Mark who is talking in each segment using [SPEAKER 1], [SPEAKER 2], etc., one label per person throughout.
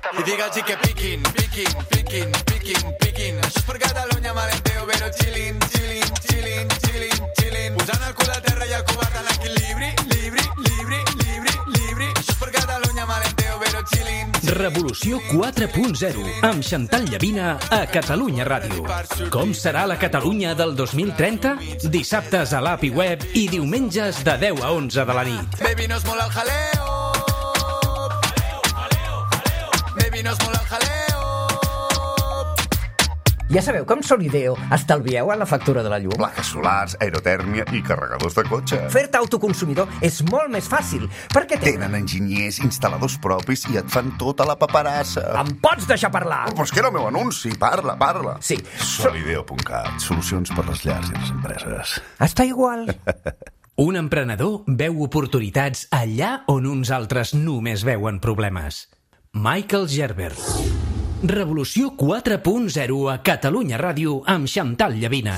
[SPEAKER 1] I digue'ls que piquin, piquin, piquin, piquin, piquin. Això és per Catalunya, malenteo, però chillin, chillin, chillin, chillin, chillin. Posant el cul a terra i el covard en equilibri, libri, libri, libri, libri. Això és per Catalunya, malenteo, però chillin.
[SPEAKER 2] Revolució 4.0 amb Chantal Llavina a Catalunya Ràdio. Com serà la Catalunya del 2030? Dissabtes a l'app i web i diumenges de 10 a 11 de la nit.
[SPEAKER 1] Baby, nos mola el jaleo. Baby, nos mola el jaleo.
[SPEAKER 3] Ja sabeu com Solideo estalvieu en la factura de la llum?
[SPEAKER 4] Plaques solars, aerotèrmia i carregadors de cotxe.
[SPEAKER 3] Fer-te autoconsumidor és molt més fàcil, perquè
[SPEAKER 4] Tenen enginyers, instal·ladors propis i et fan tota la paperassa.
[SPEAKER 3] Em pots deixar parlar?
[SPEAKER 4] Oh, però és que era el meu anunci. Parla, parla.
[SPEAKER 3] Sí.
[SPEAKER 4] Solideo.cat. Solucions per les llars i les empreses.
[SPEAKER 3] Està igual.
[SPEAKER 2] Un emprenedor veu oportunitats allà on uns altres només veuen problemes. Michael Gerber. Revolució 4.0 a Catalunya Ràdio amb Chantal Llavina.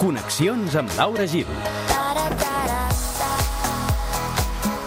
[SPEAKER 2] Connexions amb Laura Gil.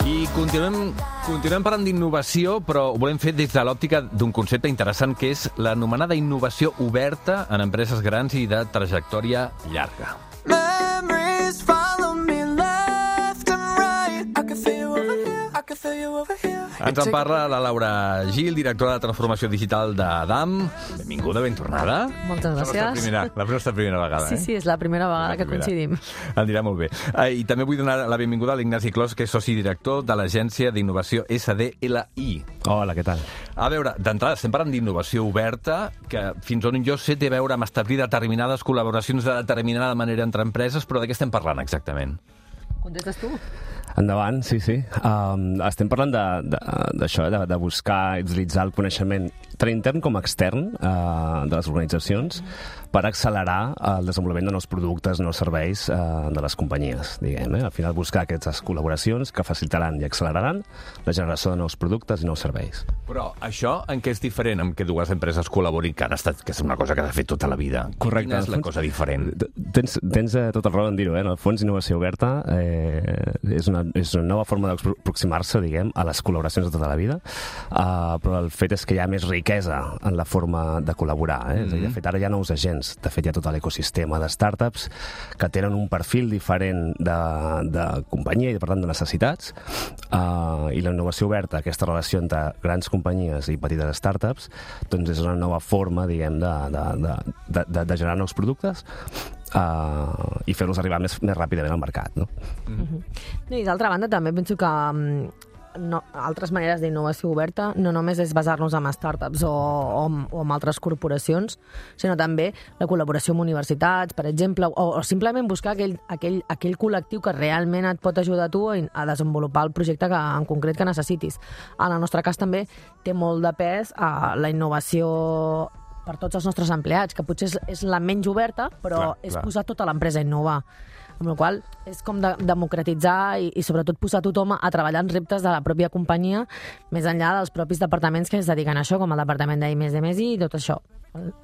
[SPEAKER 5] I continuem parlant d'innovació, però ho volem fer des de l'òptica d'un concepte interessant que és l'anomenada innovació oberta en empreses grans i de trajectòria llarga.
[SPEAKER 1] Memories follow me left and right. I can feel you over here. I can feel you over here.
[SPEAKER 5] Ens en parla la Laura Gil, directora de transformació digital d'Adam. Benvinguda, ben tornada.
[SPEAKER 6] Moltes gràcies.
[SPEAKER 5] La nostra primera vegada,
[SPEAKER 6] Sí, és la primera vegada que coincidim.
[SPEAKER 5] Anirà molt bé. I també vull donar la benvinguda a l'Ignasi Clos, que és soci director de l'agència d'innovació SDLI.
[SPEAKER 7] Hola, què tal?
[SPEAKER 5] A veure, d'entrada, estem parlant d'innovació oberta, que fins on jo sé té a veure amb establir determinades col·laboracions de determinada manera entre empreses, però de què estem parlant exactament?
[SPEAKER 6] Contestes tu?
[SPEAKER 7] Endavant, sí. Estem parlant d'això, de buscar i utilitzar el coneixement tant intern com extern de les organitzacions per accelerar el desenvolupament de nous productes, nous serveis de les companyies, diguem. Al final buscar aquestes col·laboracions que facilitaran i acceleraran la generació de nous productes i nous serveis.
[SPEAKER 5] Però això en què és diferent amb què dues empreses col·laborin, que és una cosa que s'ha fet tota la vida?
[SPEAKER 7] Correcte.
[SPEAKER 5] Quina és la cosa diferent?
[SPEAKER 7] Tens tot el raó en dir-ho, En el fons, innovació oberta és una nova forma d'aproximar-se, diguem, a les col·laboracions de tota la vida, però el fet és que hi ha més riquesa en la forma de col·laborar. És a dir, de fet, ara hi ha nous agents. De fet, hi ha tot l'ecosistema de startups que tenen un perfil diferent de companyia i, per tant, de necessitats, i la innovació oberta, aquesta relació entre grans companyies i petites startups, doncs és una nova forma, diguem, de generar nous productes i fer-los arribar més ràpidament al mercat, no?
[SPEAKER 6] I d'altra banda també penso que altres maneres d'innovació oberta no només és basar-nos en startups o en altres corporacions, sinó també la col·laboració amb universitats, per exemple, o simplement buscar aquell col·lectiu que realment et pot ajudar a tu a desenvolupar el projecte en concret que necessitis. En el nostre cas també té molt de pes la innovació per tots els nostres empleats, que potser és la menys oberta, però és posar tota l'empresa a innovar. Amb la qual cosa és com democratitzar i sobretot posar tothom a treballar en reptes de la pròpia companyia, més enllà dels propis departaments que es dediquen a això, com el departament d'I+D+I i tot això.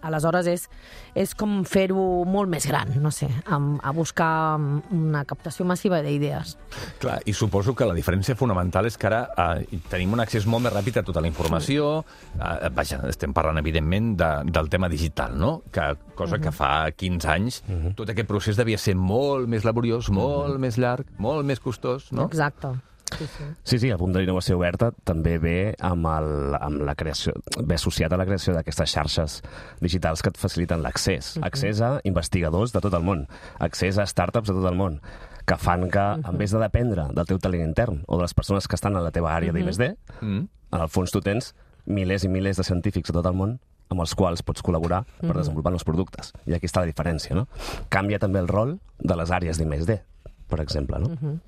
[SPEAKER 6] Aleshores és com fer-ho molt més gran, no sé, a buscar una captació massiva d'idees.
[SPEAKER 5] Clar, i suposo que la diferència fonamental és que ara tenim un accés molt més ràpid a tota la informació. Vaja, estem parlant, evidentment, del tema digital, no? Cosa que fa 15 anys tot aquest procés devia ser molt més laboriós, molt més llarg, molt més costós, no?
[SPEAKER 6] Exacte.
[SPEAKER 7] Sí, el punt de l'innovació oberta també ve amb la creació, ve associat a la creació d'aquestes xarxes digitals que et faciliten l'accés. Accés a investigadors de tot el món, accés a startups de tot el món, que fan que, en vez de dependre del teu talent intern o de les persones que estan a la teva àrea d'I+D, en el fons tu tens milers i milers de científics de tot el món amb els quals pots col·laborar per desenvolupar nous productes. I aquí està la diferència, no? Canvia també el rol de les àrees d'I+D, per exemple, no?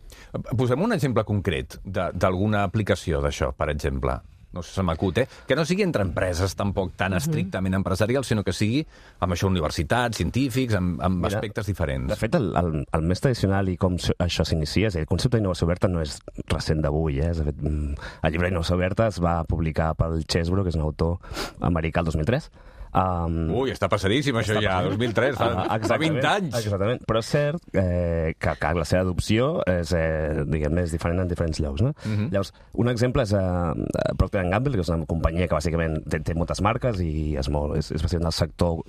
[SPEAKER 5] Posem un exemple concret d'alguna aplicació d'això, per exemple. no sé, se m'acut, que no sigui entre empreses tampoc tan estrictament empresarials, sinó que sigui amb això universitats, científics, amb aspectes diferents.
[SPEAKER 7] De fet, el més tradicional i com això s'inicia, és a dir, el concepte d'innovació oberta no és recent d'avui, De fet, el llibre d'Innovació Oberta es va publicar pel Chesbrough, que és un autor americà, el 2003.
[SPEAKER 5] Ui, està passadíssim això ja, 2003, fa 20 anys.
[SPEAKER 7] Exactament, però és cert que la seva adopció és, diguem, és diferent en diferents llocs, no? Llavors, un exemple és Procter & Gamble, que és una companyia que bàsicament té moltes marques i és bàsicament del sector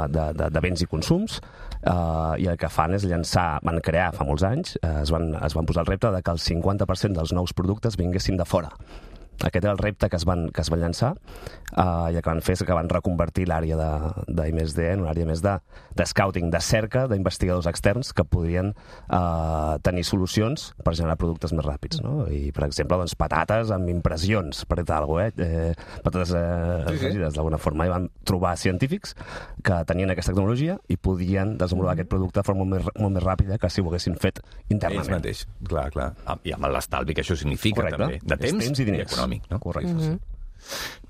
[SPEAKER 7] de béns i consums, i el que fan és van crear fa molts anys, es van posar el repte de que el 50% dels nous productes vinguessin de fora. Aquest era el repte que es van llançar, i el que van fer és que van reconvertir l'àrea d'I+D en una àrea més de scouting, de cerca d'investigadors externs que podrien tenir solucions per generar productes més ràpids, no? I, per exemple, doncs, patates amb impressions, per dir alguna cosa, patates afegides d'alguna forma. I van trobar científics que tenien aquesta tecnologia i podien desenvolupar aquest producte de forma molt més ràpida que si ho haguessin fet internament.
[SPEAKER 5] Ells mateix, clar. I amb l'estalvi que això significa, també, de temps
[SPEAKER 7] i diners.
[SPEAKER 5] Econòmic, no?
[SPEAKER 7] Correcte.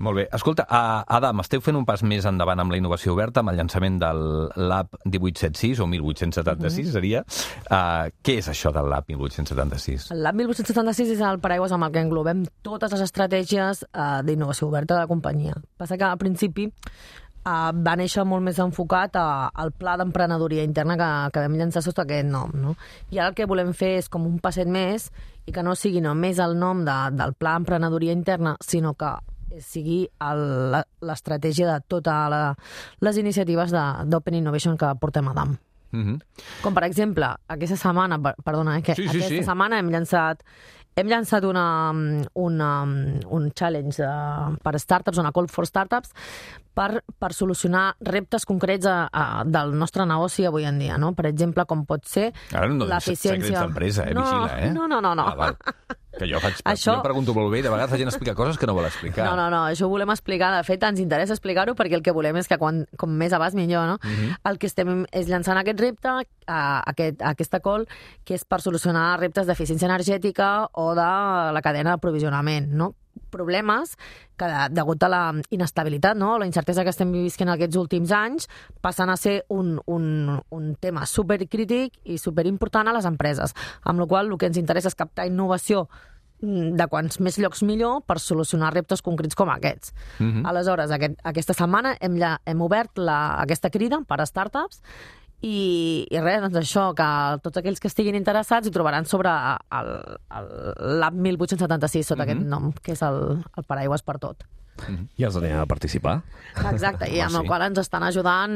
[SPEAKER 5] Molt bé. Escolta, Adam, esteu fent un pas més endavant amb la innovació oberta, amb el llançament del Lab 1876, o 1876 seria. Què és això del Lab 1876?
[SPEAKER 6] El Lab 1876 és el paraigües amb el que englobem totes les estratègies d'innovació oberta de la companyia. Passa que al principi va néixer molt més enfocat al pla d'emprenedoria interna que vam llançar sota aquest nom, no? I ara el que volem fer és com un passet més i que no sigui només el nom del pla d'emprenedoria interna, sinó que sigui l'estratègia de totes les iniciatives d'Open Innovation que portem a DAM. Com, per exemple, aquesta setmana, aquesta setmana hem llançat un challenge per startups, una call for startups, per solucionar reptes concrets del nostre negoci avui en dia, no? Per exemple, com pot ser l'eficiència...
[SPEAKER 5] Secrets d'empresa, vigila,
[SPEAKER 6] No.
[SPEAKER 5] Que jo pregunto molt bé i de vegades la gent explica coses que no vol explicar.
[SPEAKER 6] No, això ho volem explicar. De fet, ens interessa explicar-ho perquè el que volem és que com més abans millor, no? El que estem és llançant aquest repte, aquesta call, que és per solucionar reptes d'eficiència energètica o de la cadena d'aprovisionament, no? Problemes que, degut a la inestabilitat, no? La incertesa que estem vivint aquests últims anys, passen a ser un tema supercrític i superimportant a les empreses. Amb la qual cosa el que ens interessa és captar innovació de quants més llocs millor per solucionar reptes concrets com aquests. Aleshores, aquesta setmana hem obert aquesta crida per a startups i res, doncs això, que tots aquells que estiguin interessats hi trobaran sobre el Lab 1876 sota aquest nom, que és el paraigües per tot.
[SPEAKER 7] I els anirem a participar.
[SPEAKER 6] Exacte, i amb el qual ens estan ajudant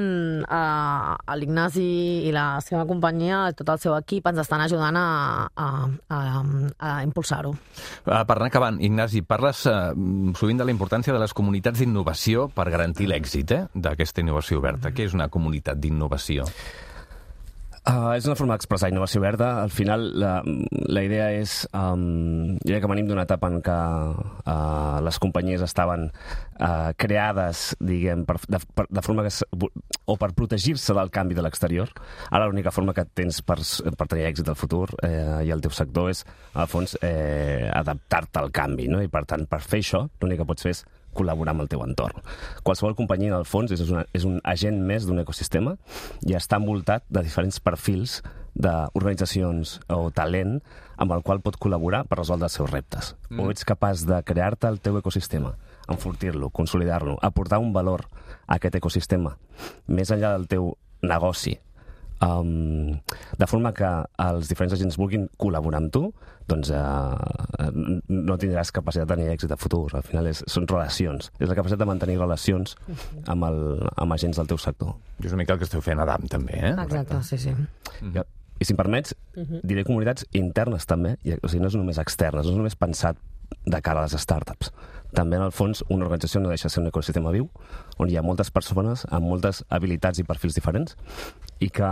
[SPEAKER 6] l'Ignasi i la seva companyia, tot el seu equip, ens estan ajudant a impulsar-ho.
[SPEAKER 5] Per anar acabant, Ignasi, parles sovint de la importància de les comunitats d'innovació per garantir l'èxit d'aquesta innovació oberta. Què és una comunitat d'innovació?
[SPEAKER 7] És una forma d'expressar innovació verda. Al final, la idea és... jo crec que venim d'una etapa en què les companyies estaven creades, diguem, de forma que... o per protegir-se del canvi de l'exterior. Ara l'única forma que tens per tenir èxit al futur i al teu sector és, al fons, adaptar-te al canvi, no? I, per tant, per fer això, l'únic que pots fer és col·laborar amb el teu entorn. Qualsevol companyia, en el fons, és un agent més d'un ecosistema i està envoltat de diferents perfils d'organitzacions o talent amb el qual pot col·laborar per resoldre els seus reptes. O ets capaç de crear-te el teu ecosistema, enfortir-lo, consolidar-lo, aportar un valor a aquest ecosistema més enllà del teu negoci, de forma que els diferents agents vulguin col·laborar amb tu, doncs no tindràs capacitat de tenir èxit a futur. Al final són relacions. És la capacitat de mantenir relacions amb agents del teu sector.
[SPEAKER 5] És una mica el que esteu fent a DAM, també,
[SPEAKER 6] Exacte, sí.
[SPEAKER 7] I si em permets, diré comunitats internes també, o sigui, no és només externes, no és només pensat de cara a les startups. També, en el fons, una organització no deixa de ser un ecosistema viu, on hi ha moltes persones amb moltes habilitats i perfils diferents i que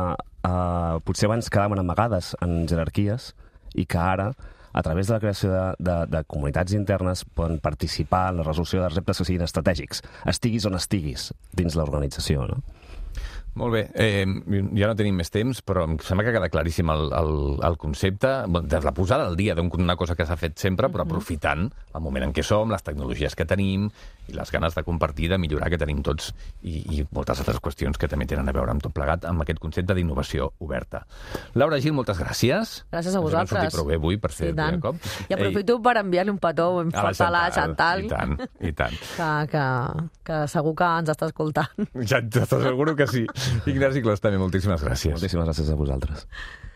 [SPEAKER 7] potser abans quedaven amagades en jerarquies i que ara, a través de la creació de comunitats internes, poden participar en la resolució de reptes que siguin estratègics, estiguis on estiguis dins l'organització, no?
[SPEAKER 5] Molt bé, ja no tenim més temps, però em sembla que queda claríssim el concepte, de la posada al dia d'una cosa que s'ha fet sempre, però aprofitant el moment en què som, les tecnologies que tenim i les ganes de compartir, de millorar que tenim tots i moltes altres qüestions que també tenen a veure amb tot plegat, amb aquest concepte d'innovació oberta. Laura Gil, moltes gràcies.
[SPEAKER 6] Gràcies a vosaltres.
[SPEAKER 5] Ens hem sortit prou bé avui per ser el primer cop.
[SPEAKER 6] I aprofito per enviar-li un petó ben fort a la Chantal.
[SPEAKER 5] I tant.
[SPEAKER 6] Que segur que ens està escoltant.
[SPEAKER 5] Ja t'asseguro que sí. Ignasi Clos, també, moltíssimes gràcies.
[SPEAKER 7] Moltíssimes gràcies a vosaltres.